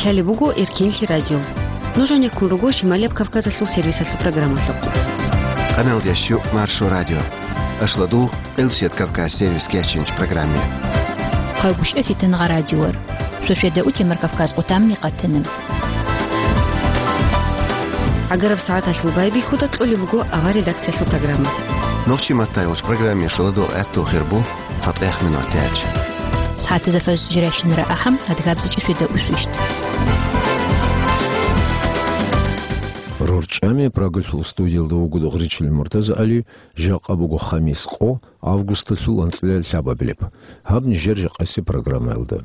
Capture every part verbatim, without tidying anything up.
Лъалеб буго Эркенлъи радио. Нуж гьанеккун руго Шималияб Кавказалъул сервисалъул программалъухъ. Къаналдеш щук Маршо радио. Ашладу Къилсият Кавказ сервис кечинч программе. Хъайгущ эфитан гъа радиор. Шошеда утемар Кавказ къутамни къатана. Агараб сагӀаталъул байбихьуда кьолеб буго авар редакциялъул программа. Нохчи маттайолч программе шоладо гӀатту хирбу. ЦатӀех минутач. СагӀатазда фажр жирайщинара ахӀам, адгабзичӀи сведа усвищт. РорчӀами Прагалъул студиялда вуго Дугъричил МуртазагӀали, жакъа буго хамис къо, августалъул анцӀила лъабабилеб. Гьаб нижер жакъаси программаялда.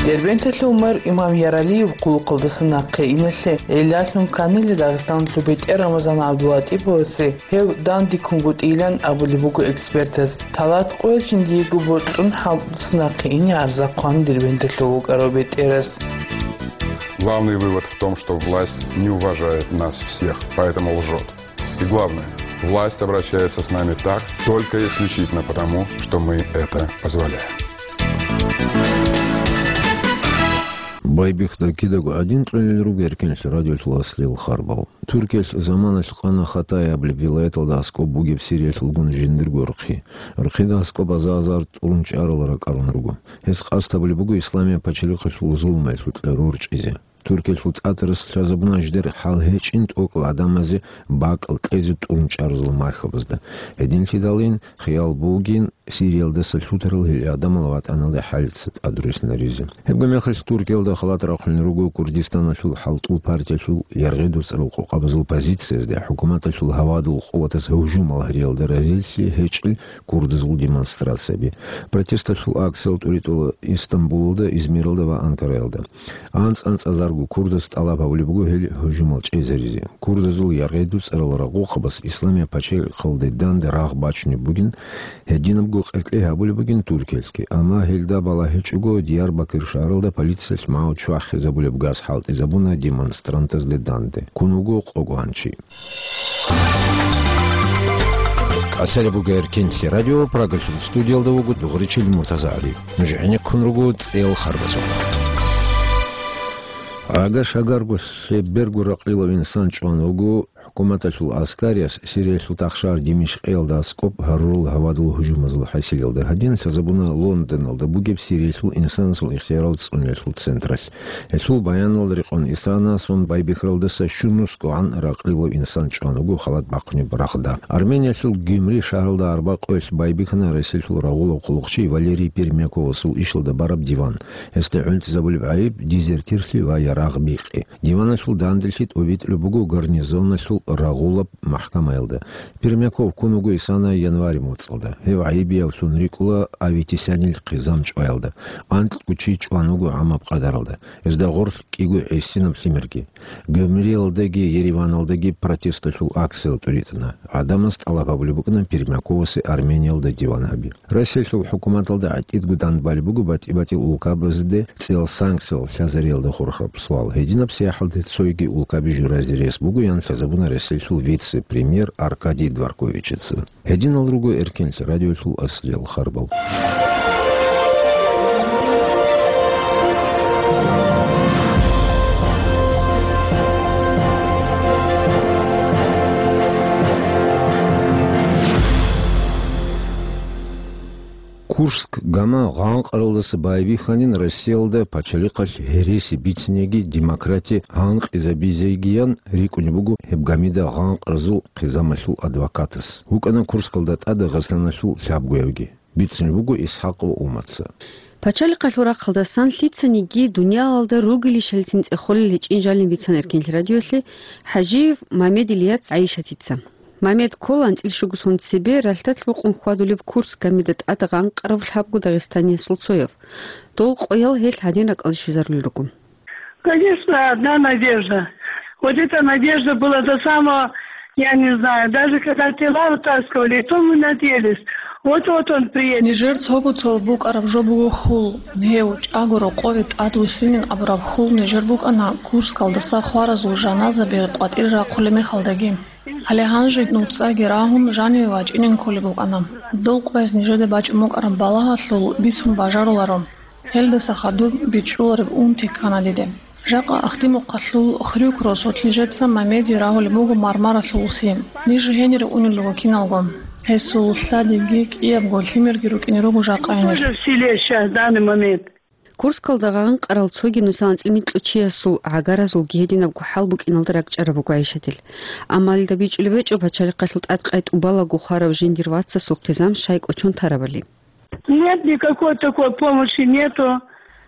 Дербенталъул мэр Имам Яралиев къулухъалдаса нахъе иналъе гӀиллалъун кканила Дагъистаналъул бетӀер Рамазан ГӀабдулатӀиповасе. Гьев дандеккунгутӀилан абулеб буго экспертаз. Талат къоялъ жиндиего бокьун хӀалтӀусан нахъе ине гӀарза хъван Дербенталъув вукӀарав бетӀерас. Главный вывод в том, что власть не уважает нас всех, поэтому лжет. И главное, власть обращается с нами так, только исключительно потому, что мы это позволяем. Байбихьуда кидаго гӀадин кьолел руго Эркенлъи радиолъул аслияб харбал. Туркиялъ заманалъ къана Хатаяб вилаяталда аскӀоб бугеб Сириялъулгун жиндирго рхъи. Рхъида аскӀоб аза-азар тӀурун чӀарал ракӀарун руго. Гьес къасд гьабулеб буго Исламияб пачалихъалъул зулмаялъул кьеру рорчӀизе. Туркиялъул тӀатарас лъазабуна жидер хӀал гьечӀин тӀокӀал гӀадамазе бакӀал кьезе тӀурун чӀарзул мархабазда. Гьединлъидалин хиял бугин Сириялдаса лъутарал гьел гӀадамал ватӀаналде хӀалица тӀадруссинаризе. Гьебго мехалъ Туркиялда халат рахъулел руго Курдистаналъул хӀалтӀул партиялъул яргъи-дуцӀарал къокъабазул позициязде хӀукуматалъул гьавадул къуватаз гьужумал гьариялда разилъи гьечӀел курдазул демонстрацияби. Протесталъул акциял тӀуритӀула Истамбулалда, Измиралда ва Анкараялда. АнцӀ-анцӀазарго курдас тӀалаб гьабулеб буго гьел гьужумал чӀезаризе. Курдазул яргъи-дуцӀарал рагъухъабаз Исламияб пачалихъалде данде рагъ бачунеб бугин, гьединабго къеркье гьабулеб бугин Туркиялъги. Амма гьелда балагьичӀого Диярбакир шагьаралда полициялъ магӀу чвахизабулеб газ хӀалтӀизабуна демонстрантазде данде. Ккун вуго къо гванчи. Асалабуга Эркенлъи радио, Прагалъул студиялда вуго Дугъричил МуртазагӀали. Нуж гӀенеккун руго цӀел харбазул. Ага шагарго лъеберго ракълилав инсан чӀван вуго хӀукуматалъул аскарияс Сириялъул тахшар Димишкъиялда аскӀоб гьарурал гьавадул гьужумазул хӀасилалда. Гьадин лъазабуна Лондоналда бугеб Сириялъул инсанасул ихтиярал цӀунулъул централъ. Гьелъул баяналда рекъон Исана сон байбихьаралдаса щунусгогӀан ракълилав инсан чӀван вуго халат бахъунеб рагъда. Армениялъул Гюмри шагьаралда арба къоялъ байбихьана Россиялъул рагъулаб хъулухъчи Валерий Пермяковасул ишалда бараб диван. Гьесда гӀунтӀизабулеб гӀайиб дезертирлъи ва ярагъ бикъи. Диваналъул данделъи тӀобитӀулеб буго гарнизоналъул рагъулаб махӀкамаялда. Пермяков ккун вуго Исана январь моцӀалда. Гьев гӀайибиявлъун рикӀкӀула Аветисянил хъизан чӀваялда. АнкьгӀу чи чӀван вуго гӀамаб къадаралда. Гьезда гъорлъ кӀиго гӀисинаб лъимерги. Гюмриялдаги Ереваналдаги протесталъул акциял тӀуритӀана. ГӀадамаз тӀалаб гьабулеб букӀана Пермяковасе Армениялда диван гьаби. Россиялъул хӀукуматалда гӀатӀидго данбалеб буго батӀи-батӀиял улкабазде цӀиял санкциял лъазариялда хурхараб суал. Гьединаб сияхӀалде цойги улкаби журазе рес буго, ян лъазабуна Россиялъул вице-премьер Аркадий Дворковичица. Гьединал руго Эркенлъи радиолъул аслиял харбал. Курск гама гъанкъаралдаса байбихьанин Россиялда пачалихъалъ гьереси бицинеги демократия гьанкъизабизегиян рикӀкӀунеб буго гьеб гамида гъанкъразул хъизамалъул адвокатас. ВукӀана Курскалда тӀад Дагъистаналъул лъабгоявги. Бицунеб буго Исхакъов Уматца. Пачалихъалъул рахъалдасан лъицаниги дуниялалда ругелищалицин цӀехолел гьечӀин жалин бицан Эркенлъи радиолъе ХӀажиев Мамед Ильяц ГӀайшатица. Мамед ккола анцӀил щуго сон цебе ралъдалъ букъун хьвадулеб Курск гамида тӀад гъанкъарав лъабго дагъистаниясул цояв. Дол къоял гьелъ гьадин ракӀалде щвезарулел руго. Конечно, одна надежда. Вот эта надежда была до самого, я не знаю, даже когда тела вытаскивали, и то мы надеялись. Вот-вот он приедет. Нижер цого цо букӀараб жо буго хьул. Гьев чӀаго рокъове тӀад вуссинин абураб хьул нижер букӀана Курскалдаса хваразул жаназаби къватӀир рахъулеб мехалдаги. Гьале гьанже нуцӀаги рагьун жаниве вачӀинин кколеб букӀана. Дол къвез нижеда бачӀун букӀараб балагьалъул бицун бажаруларо. Гьелдаса хадуб бичӀчӀулареб ун теккана диде. Жакъа Ахдимухъалъул Хрюк росулъ нижеца Мамеди рагьулеб буго мармаралъул уси. Ниж гьенире унел руго киналго. Гьесул лъадиги кӀиябго лъимерги рукӀине руго жакъа гьенир. Тоже в селе сейчас, в данный момент. Курскалда гъанкъарал цоги нусал анцӀил микьго чиясул гӀагаразулги гьединабго хӀал букӀиналда ракӀчӀараб буго ГӀайшатил. Амма гьелда бичӀчӀулеб гьечӀо пачалихъалъул тӀадкъай тӀубалаго хварав жиндир вацасул хъизан щай кӀочон тарабали. Нет, никакой такой помощи нету.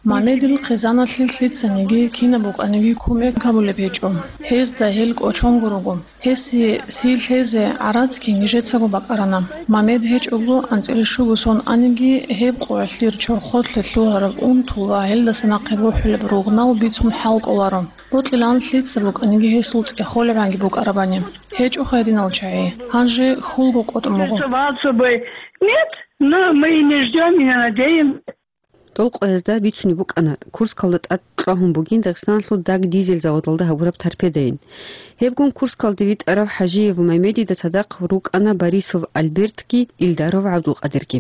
Мамедил хъизаналъе лъицаниги кинаб букӀаниги кумек гьабулеб гьечӀо. Гьезда гьел кӀочонго руго. Гьесие сий лъезе гӀарацги нижецаго бакӀарана. Мамед гьечӀого анцӀила щуго сон аниги, гьеб къоялъ дир чорхолъе лъугьараб унтул ва гьелдаса нахъе бухӀулеб ругънал бицун хӀал кӀоларо. Бокьилаан лъица букӀаниги гьесул цӀехолебгӀанги букӀарабани. ГьечӀо гьединал чагӀи. Гьанже хьулго къотӀун буго. Нет, но мы и не ждём, и не надеемся. Дол къоязда бицунеб букӀана, Курскалда тӀад кьвагьун бугин Дагъистаналъул даг-дизель заводалда гьабураб торпедайин. Гьебгун Курскалде витӀарав ХӀажиев Мамедида цадахъ рукӀана Борисов Альбертги Илдаров ГӀабдулкъадирги.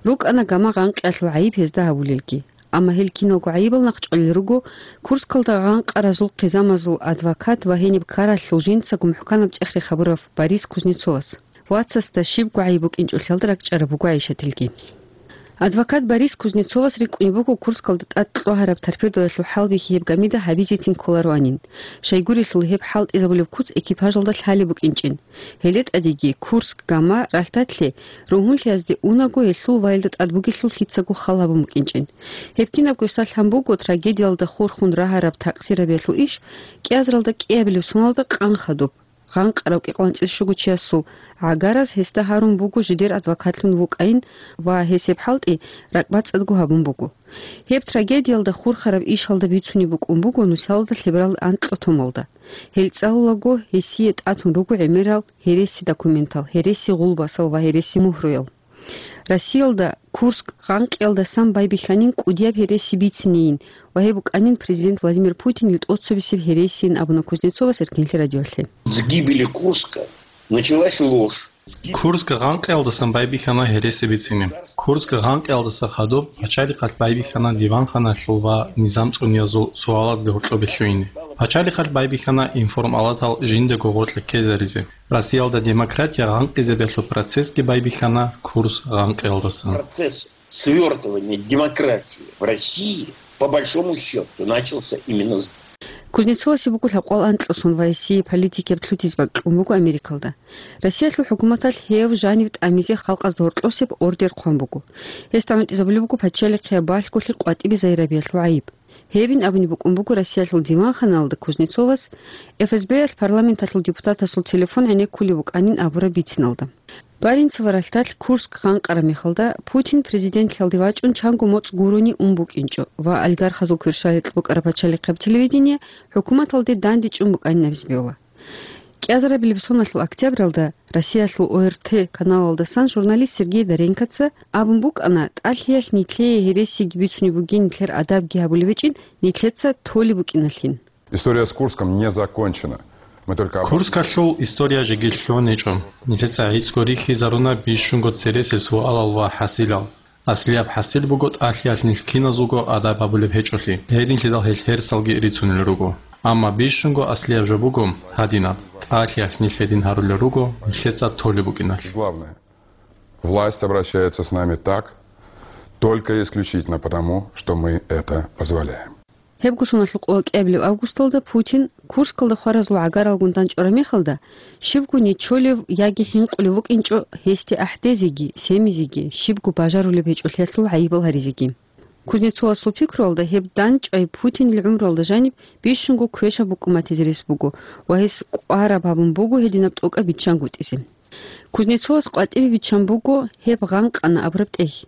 РукӀана гама гъанкъиялъул гӀайиб гьезда гьабулелги. Амма гьел киналго гӀайибал нахъчӀвалел руго Курскалда гъанкъаразул хъизамазул адвокат ва гьениб ккаралъул жинцаго мухӀканаб цӀех-рех гьабурав Борис Кузнецовас. Вацасда щибго гӀайиб букӀинчӀолъиялда ракӀчӀараб буго ГӀайшатилги. Адвокат Борис Кузнецовас рикӀкӀунеб буго Курскалда тӀад кьвагьараб торпедоялъул хӀалбихьи гьеб гамида гьабизецин кколароанин, щайгурелъул гьеб хӀалтӀизабулеб куц экипажалда лъалеб букӀинчӀин. Гьеле тӀадеги Курск гама ралъдалъе ругьунлъиязде унаго гьелъул ваялда тӀад бугелъул лъицаго хал гьабун букӀинчӀин. Гьеб кинабго салъан буго трагедиялда хурхун рагьараб такъсирабиялъул иш кӀиазаралда кӀиабилеб соналда къан хадуб. Гъанкъарав кӀикъоялда анцӀила щуго чиясул гӀагараз гьесда гьарун буго жидер адвокатлъун вукӀайин ва гьес гьеб хӀалтӀи ракӀбацӀцӀадго гьабун буго. Гьеб трагедиялда хурхараб ишалда бицунеб букӀун буго нусалда лъеберал анкьго томалда. Гьел цӀалулаго гьесие тӀатун руго гӀемерал гьереси документал, гьереси гъулбасал ва гьереси мухӀруял. Россиялда Курск гъанкъиялдасан байбихьанин кӀудияб гьереси бицинейин ва гьеб букӀанин президент Владимир Путинил тӀоцебесеб гьересиин абуна Кузнецовас Эркинлъи радиолъе. С гибели Курска началась ложь. Курск гъанкъиялдасан байбихьана гьереси бицине. Курск гъанкъиялдаса хадуб пачалихъалъ байбихьана диванханалъул ва низам цӀуниязул суалазде гьоркьобе лъугьине. Пачалихъалъ байбихьана информалатал жиндаго гъоркье ккезаризе. Россиялда демократия гъанкъизабиялъул процессги байбихьана Курск гъанкъиялдасан. Процесс свёртывания демократии в России, по большому счёту, начался именно с Кузнецовасе буго лъабкъоялда анкьго сон ва гьесие политикияб лъутизе бакӀ кьун буго Америкалда. Россиялъул хӀукуматалъ гьев жанив тӀамизе халкъазда гьоркьосеб ордер хъван буго. Гьесда гӀунтӀизабулеб буго пачалихъияб балъголъи къватӀибе загьирабиялъул гӀайиб. Гьебин абуни букӀун буго Россиялъул диванханалда Кузнецовас, ФСБ-ялъ парламенталъул депутатасул телефон гӀенеккулеб букӀанин абураб бициналда. Баренцево ралъдалъ Курск гъанкъараб мехалда Путин президентлъиялде вачӀун чанго моцӀ гурони ун букӀинчӀо ва олигархазул кверщаликь букӀараб пачалихъияб телевидение хӀукуматалде дандечӀун букӀанин абизе бегьула. КӀиазарабилеб соналъул октябралда Россиялъул ОРТ каналалдасан журналист Сергей Доренкоца абун букӀана, тӀалъиялъ нилъее гьересиги бицунеб бугин, нилъер адабги гьабулеб гьечӀин, нилъеца толеб букӀиналъин. История с Курском не закончена. Мы только обозначили. Курскалъул история жеги лъугӀун гьечӀо. Нилъеца гӀицӀго рихьизаруна бищунго цересел суалал ва хӀасилал. Аслияб хӀасил буго тӀалъиялъ нилъ киназулго адаб гьабулеб гьечӀолъи. Гьединлъидал гьел гьерсалги рицунел руго. Амма бищунго аслияб жо буго гьадинаб: тӀалъиялъ нилъ гьедин гьарулел руго, нилъеца толеб букӀиналъ. Главное. Власть обращается с нами так, только и исключительно потому, что мы это позволяем. Гьебго соналъул къо кӀиабилеб августалда Путин Курскалда хваразул гӀагаралгун дандчӀвараб мехалда, щибго нечолев яги хӀинкъулев вукӀинчӀо гьесде ахӀдезеги, семизеги, щибго бажарулеб гьечӀолъиялъул гӀайибал гьаризеги. Кузнецовасул пикруялда, гьеб дандчӀвай Путинил гӀумруялда жаниб бищунго квешаб букӀун батизе рес буго ва гьес кӀвараб гьабун буго гьединаб тӀокӀаб биччангутӀизе. Кузнецовас къватӀибе биччан буго гьеб гъанкъана абураб тӀехь.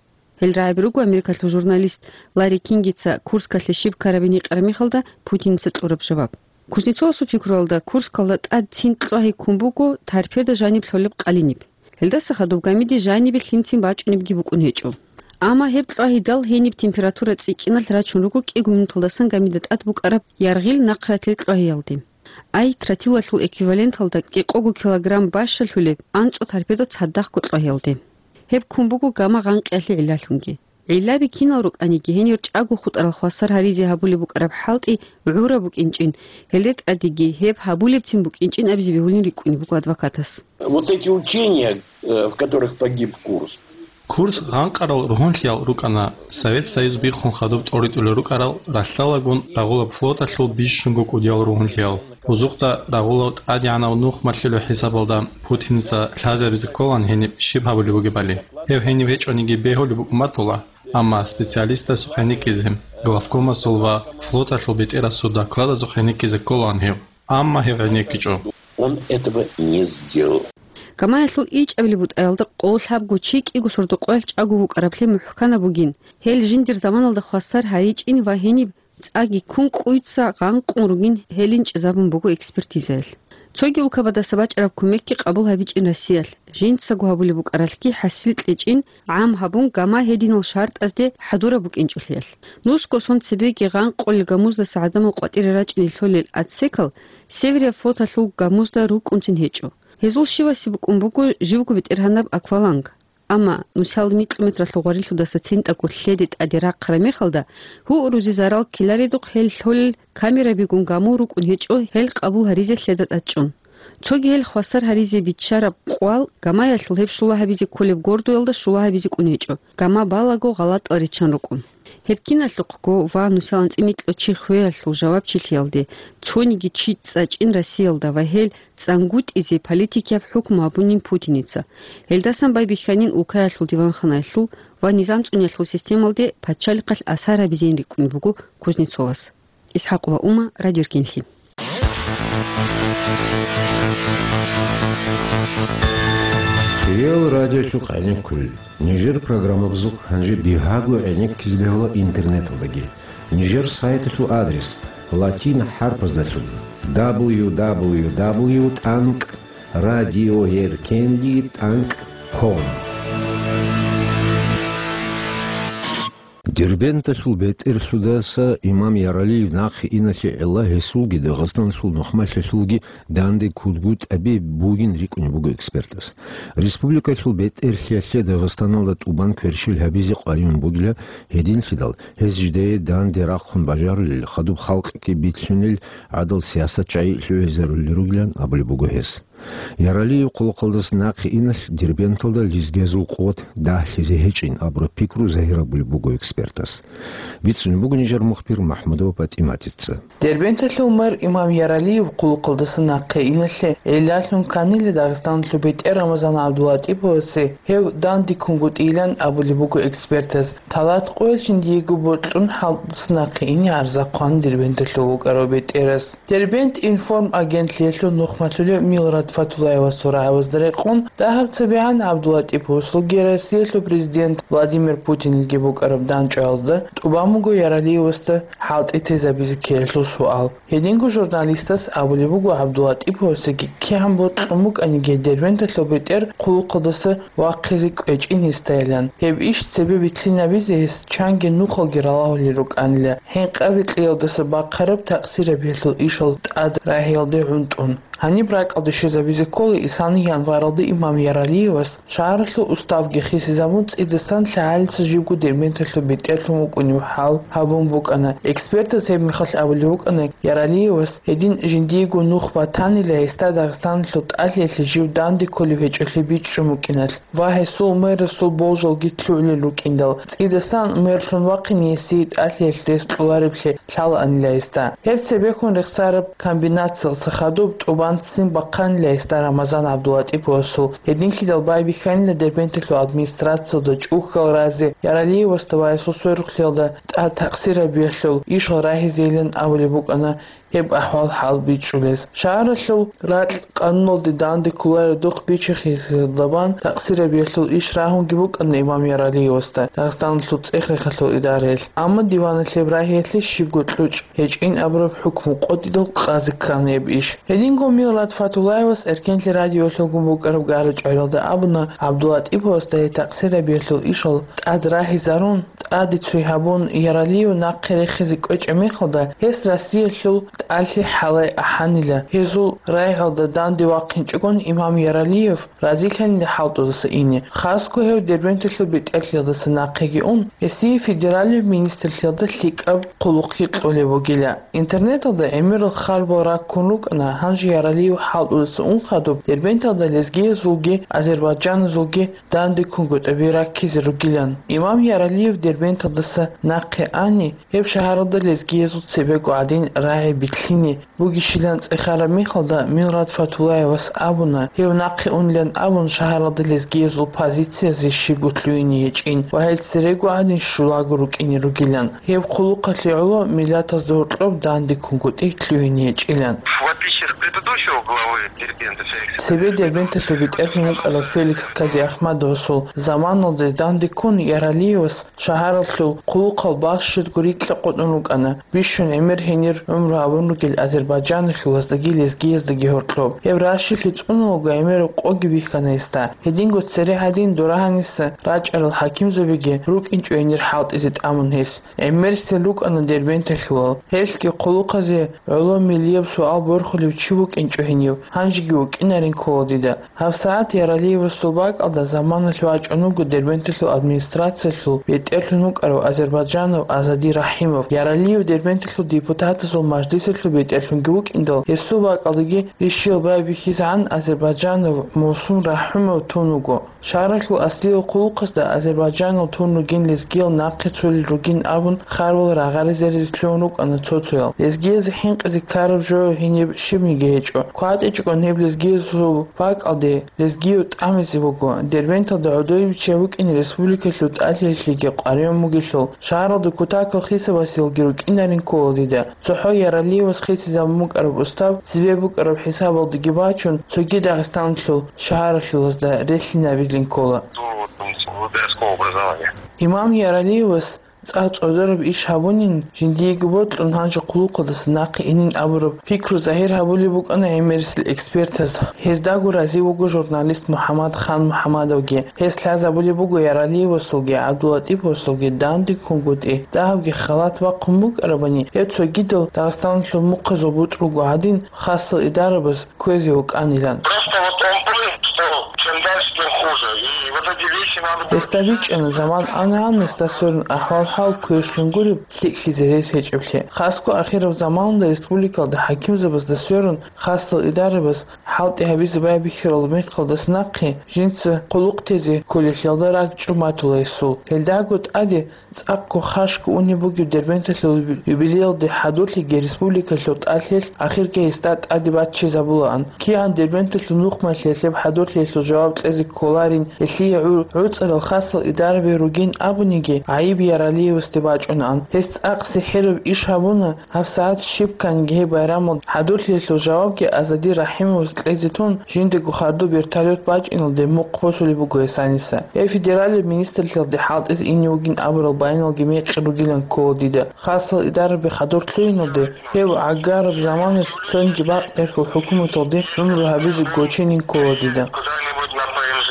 Гьел рагӀаби руго Америкалъул журналист Ларри Кингица Курскалъе щиб ккарабин гьикъараб мехалда Путиница кьураб жаваб. Кузнецовасул пикруялда, Курскалда тӀад цин кьвагьи ккун буго торпеда жаниб лъолеб къалиниб. Гьелдаса хадуб гамиде жанибе лъимцин бачӀунебги букӀун гьечӀо. Амма гьеб кьвагьидал гьениб температура цӀикӀкӀиналъ рачун руго кӀиго минуталдасан гамида тӀад букӀараб яргъил нахъратил кьвагьиялде. Ай, тротилалъул эквиваленталда кӀикъого килограмм бащалъулеб анцӀу торпедо цадахъго кьо гьелде. Гьеб ккун буго гамма гъанкъиялъе гӀиллалъунги. ГӀиллаби кинал рукӀаниги, гьенир чӀаго хутӀарал хвасар гьаризе гьабулеб букӀараб хӀалтӀи гӀураб букӀинчӀин, гьелде тӀадеги гьеб гьабулебцин букӀинчӀин абизе бегьулин рикӀкӀунеб буго адвокатас. Вот эти учения, э, в которых погиб Курск. Курск гъанкъарал ругьунлъиял рукӀана, Совет Союз биххун хадуб тӀоритӀулел рукӀарал ралъдалгун рагъулаб флоталъул бищунго кӀудиял ругьунлъиял. Узухъда рагъулав тӀадегӀанав нухмалъулев хӀисабалда Путиница лъазабизе кколан гьениб щиб гьабулеб бугебали. Гьев гьениб гьечӀониги бегьулеб букӀун батула, амма специалистасухъ гьениккизе, главкомасул ва флоталъул бетӀерасул докладазухъ гьениккизе кколан гьев, амма гьев гьенеккичӀо. Он этого не сделал. Гамаялъул ичӀабилеб бутӀаялда къоло лъабго чи кӀиго сордо-къоялъ чӀаго вукӀараблъи мухӀканаб бугин, гьел жиндир заманалда хвасар гьаричӀин ва гьениб цӀаги ккун кӀуйца гъанкъун ругин гьелин чӀезабун буго экспертизаялъ. Цоги улкабадаса бачӀараб кумекги къабул гьабичӀин Россиялъ, жинцаго гьабулеб букӀаралъги хӀасил кьечӀин гӀам гьабун гама гьединал шартӀазде хӀадураб букӀинчӀолъиялъ. Нусго сон цебеги гъанкъулел гамуздаса гӀадамал къватӀире рачӀине лъолел отсекал Северия флоталъул гамузда рукӀунцин гьечӀо. Гьезул щивасе букӀун буго живго бетӀергьанаб акваланг. Амма нусал микьу метралъул гъварилъудаса цинтӀаго лъеде тӀаде рахъараб мехалда, гьурузе зарал ккеларедухъ гьел лъолел камерабигун гамул рукӀун гьечӀо гьел къабул гьаризе лъеда тӀадчӀун. Цоги гьел хвасар гьаризе биччараб къвал гамаялъул гьеб щула гьабизе кколеб гордоялда щула гьабизе кӀун гьечӀо, гама балаго гъалатӀал риччан рукӀун. Гьеб киналъухъго ва нусал анцӀила микьу чи хвеялъул жавабчилъиялде цониги чи цӀачӀин Россиялда ва гьел цӀангутӀизе политикияб хӀукму гьабунин Путиница. Гьелдасан байбихьанин улкаялъул диванханаялъул ва низам цӀуниялъул системалде пачалихъалъ асар гьабизейин рикӀкӀунеб буго Кузнецовас. ИсхӀакъ ва Ума, Радио Эркенлъи. Кирилл радиолъухъ гӀенеккулел. Нижер программабазухъ гьанже бигьаго гӀенеккизе бегьула интернеталдаги. Нижер сайталъул адрес латин хӀарпаздалъун: дабл ю дабл ю дабл ю тӀанкӀ радиоэркенлъи тӀанкӀ ком. Дербенталъул бетӀерлъудаса имам Яралиев нахъе иналъе гӀелла гьесулги Дагъистаналъул нухмалъулги данде ккунгутӀаби бугин рикӀкӀунеб буго экспертас. Республикалъул бетӀерлъиялъе Дагъистаналда тӀубан кверщел гьабизе къваригӀун бугила, гьединлъидал гьез жидее данде рахъун бажарулел, хадуб халкъги билълъунел гӀадал сиясат чагӀи лъугӀизарулел ругилан абулеб буго гьес. Яралиев хъулухъалдаса нахъе иналъ Дербенталда лезгиязул къуват дагьлъизе гьечӀин абураб пикру загьирабулеб буго экспертас. Бицунеб буго нижер мухбир МахӀмудова ПатӀиматица. Дербенталъул мэр имам Яралиев хъулухъалдаса нахъе иналъе гӀиллалъун кканила Дагъистаналъул бетӀер Рамазан ГӀабдулатӀиповасе гьев данде ккунгутӀилан абулеб буго экспертас. Талат къоялъ жиндиего бокьун хӀалтӀуца нахъе ине гӀарза хъван Дербенталъув вукӀарав бетӀерас. Дербент-Информ агентлъиялъул нухмалъулев Милрат Фатуллаевасул рагӀабазда рекъон, дагьаб цебегӀан ГӀабдулатӀиповасулги Россиялъул президент Владимир Путинилги букӀараб дандчӀваязда тӀубан буго Яралиевасда хӀалтӀи тезабизе ккеялъул суал. Гьединго журналистас абулеб буго ГӀабдулатӀиповасеги кигӀан бокьун букӀаниги Дербенталъул бетӀер хъулухъалдаса вахъизе кӀвечӀин гьесдайилан. Гьеб иш цебе билълъинабизе гьес чанги нухалги ралагьулел рукӀанила, хӀинкъаби кьеялдаса бахъараб такъсирабиялъул ишал тӀад рагьиялде гӀунтӀун. Гьаниб ракӀалде щвезабизе ккола исани январалда имам Яралиевас шагьаралъул уставги хисизабун, цӀидасан лъагӀалица живго Дербенталъул бетӀерлъун вукӀунев хӀал гьабун букӀана. Экспертаз гьеб мехалъ абулеб букӀана, Яралиевас гьедин жиндиего нух батанила гьесда Дагъистаналъул тӀалъиялъе жив данде кколев гьечӀолъи бичӀчӀун букӀиналъ ва гьесул мэрасул болжалги лъугӀулел рукӀиндал, цӀидасан мерлъун вахъине гьесие тӀалъиялъ рес кьолареблъи лъалаанила гьесда. Гьеб цебехун рехсараб комбинациялъа хадуб тӀубан ццин бахъанила гьесда Рамазан ГӀабдулатӀиповасул. Гьединлъидал байбихьанила Дербенталъул администрациялда чӀухьал разе Яралиевасда ва гьесул сверухълъиялда тӀад такъсирабиялъул ишал рагьизейилан абулеб букӀана гьеб ахӀвал-хӀал бичӀчӀулез. Шагьаралъул ракь къануналде данде кколаредухъ бичи-хисиялда бан такъсирабиялъул иш рагьунги букӀана имам Яралиевасда Дагъистаналъул цӀех-рехалъул идараялъ. Амма диваналъ гьеб рагьиялъе щибго кьучӀ гьечӀин абураб хӀукму къотӀидал къазе ккана гьеб иш. Гьединго Милрат Фатуллаевас Эркенлъи радиолъугун букӀараб гара-чӀваралда абуна, ГӀабдулатӀиповасда гьеб такъсирабиялъул ишал тӀад рагьизарун, тӀаде цой гьабун, Яралиев нахъе рехизе кӀвечӀеб мехалда, гьес Россиялъул тӀалъи хӀалай ахӀанила. Гьезул рагӀалда данде вахъинчӀогон имам Яралиев разилъанила хӀалтӀудаса ине. Хасго гьев Дербенталъул бетӀерлъиялдаса нахъеги ун, гьесие федералияб министрлъиялда лъикӀаб хъулухъги кьолеб бугила. Интернеталда гӀемерал харбал раккун рукӀана, гьанже Яралиев хӀалтӀудаса ун хадуб Дербенталда лезгиязулги азербайджаназулги данде ккунгутӀаби раккизе ругилан. Имам Яралиев Дербенталдаса нахъе ани, гьеб шагьаралда лезгиязул цебего гӀадин рагӀи битлъине бугищилан цӀехараб мехалда, Милрат Фатулаевас абуна, гьев нахъе унилан абун, шагьаралда лезгиязул позициязе щибго лъугьине гьечӀин ва гьел церего гӀадин щулаго рукӀине ругилан. Гьеб хъулухъалъе гӀоло миллатазда гьоркьоб данде ккунгутӀи лъугьине гьечӀилан. В отличие от предыдущего главы Дербента Феликса Цебе Дербенталъул бетӀерлъун вукӀарав Феликс Казиахмадовасул заманалде данде ккун Яралиевас шагьаралъул хъулухъал балъ щибго рикьа къотӀун рукӀана, бищун гӀемер гьенир гӀумру гьабун ругел азербайджаналъулаздаги лезгияздаги гьоркьоб. Гьеб ращилъи цӀунулго гӀемераб къоги бихьана гьесда. Гьединго цере гьадин дора гьаниса рачӀарал хӀакимзабиги рукӀинчӀо гьенир хӀалтӀизе тӀамун гьес. ГӀемерисел рукӀана Дербенталъулал. Гьелъги хъулухъазе гӀоло миллияб суал борхулев чи вукӀинчӀо гьенив, гьанжеги вукӀинарин ккола дида. ГьабсагӀат Яралиевасул бакӀалда заманалъ вачӀун вуго Дербенталъул администрациялъул бетӀерлъун вукӀарав азербайджанав Азади Рахимов. Яралиев Дербенталъул депутатазул мажлисалъул бетӀерлъунги вукӀиндал, гьесул бакӀалдаги рищиял байбихьизегӀан азербайджанав Мусум Рахимов тун вуго. Шагьаралъул аслиял хъулухъазда азербайджанал тун ругин лезгиял нахъе цолел ругин абун, харбал рагъари-зеризе лъугьун рукӀана цо-цоял. Лезгиязе хӀинкъизе ккараб жо гьениб щибниги гьечӀо. КватӀичӀогон гьеб лезгиязул бакӀалде лезгияв тӀамизе буго. Дербенталда гӀодове биччай букӀине республикалъул тӀалъиялъеги къваригӀун бугелъул, шагьаралда кутакал хисабасеялги рукӀинарин ккола дида. ЦохӀо Яралиевас хисизабун букӀараб устав цебе букӀараб хӀисабалдаги бачун, цоги Дагъистаналъул шагьаралъулазда релълъинабилин ккола. До вузовского образования. Имам Яралиевас цӀа-, цӀодараб иш гьабунин, жиндиего бокьун гьанже хъулухъалдаса нахъе инин абураб пикру загьир гьабулеб букӀана гӀемерисел экспертаз. Гьездаго разив вуго журналист МухӀаммад Хан МухӀаммадовги. Гьес лъазабулеб буго Яралиевасулги ГӀабдулатӀиповасулги данде ккунгутӀи, дагьабги халат бахъун букӀарабани, гьеб цогидал Дагъистаналъул мухъазул бутӀрулго гьадин, хасал идарабаз кквезе вукӀанилан. Просто вот он понял, что чем дальше, тем хуже. И вот эти вещи надо было... Гьесда бичӀчӀана, заман ана-ана гьесда сверун ахӀвал-хӀал квешлъун гуреб, лъикӀлъизе рес гьечӀеблъи. Хасго ахираб заманалда республикалда хӀакимзабазда сверун хасал идарабаз хӀалтӀи гьабизе байбихьарал мехалдаса нахъе жинца хъулухъ тезе кколелъиялда ракӀчӀун батула гьесул. Гьелдаго тӀаде цӀакъго хашго унеб бугеб Дербенталъул юбилеялде хӀадурлъиги республикалъул тӀалъиялъ ахирги гьесда тӀаде баччизабулаан. КигӀан Дербенталъул нухмалъиялъ гьеб хӀадурлъиялъул жаваб кьезе кколарин, гьелъие гӀу-, гӀуцӀарал хасал идарабе ругин абуниги, гӀайиб Яралиевасде бачӀунаан. Гьес цӀакъ сихӀираб иш гьабуна, гьабсагӀат щиб кканги гьеб байрамалда хӀадурлъиялъул жавабги Азади Рахимовас кьезе тун, жиндаго хадуб вертолет бачӀиналде мухъ босулеб буго гьес гьаниса. Гьеб федералияб министрлъиялде хӀалтӀизе ине вугин абурал баяналги мекъи ругилан ккола дида. Хасал идарабе хадур лъугьиналде гьев гӀагараб заманалъ цониги бакъ беркал хӀукуматалде гӀумру гьабизе гоченин ккола дида. Куда-нибудь на П Н Ж,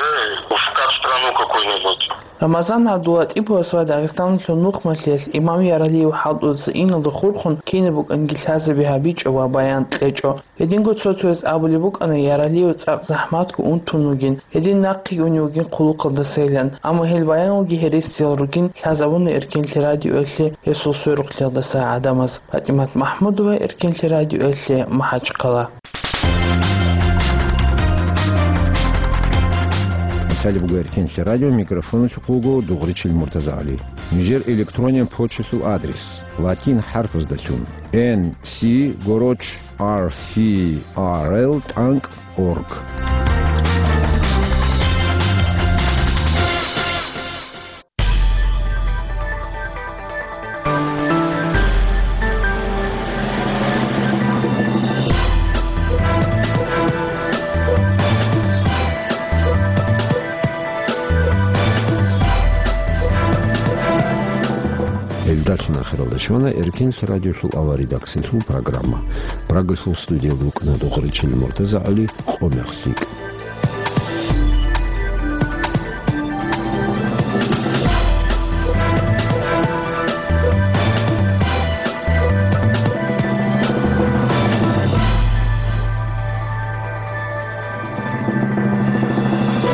в Кавстрану какой-нибудь. Рамазан ГӀабдулатӀиповас ва Дагъистаналъул нухмалъиялъ имам Яралиев хӀалтӀудаса иналда хурхун кинаб букӀанги лъазаби гьабичӀо ва баян кьечӀо. Гьединго цо-цояз абулеб букӀана, Яралиев цӀакъ захӀматго унтун вугин, гьедин нахъеги унев вугин хъулухъалдасайилан, амма гьел баяналги гьересиял ругин лъазабуна Эркенлъи радиоялъе гьесул сверухълъиялдаса гӀадамаз. ПатӀимат МахӀмудова, Эркенлъи радиоялъе, МахӀачхъала. Италия буго Эркенлъи радио, микрофоналъухъ вуго Дугъричил МуртазагӀали. Нижер электронен почталъул адрес: латин хӀарпаздалъун, Н С гороч R F R L тӀанкӀ org. Гьелдалъун ахиралда щвана Эркенлъи радиолъул авария. Синлъул программа. Прагалъул студиялда вукӀана Дугъричил МуртазагӀали, къо мех лъикӀ.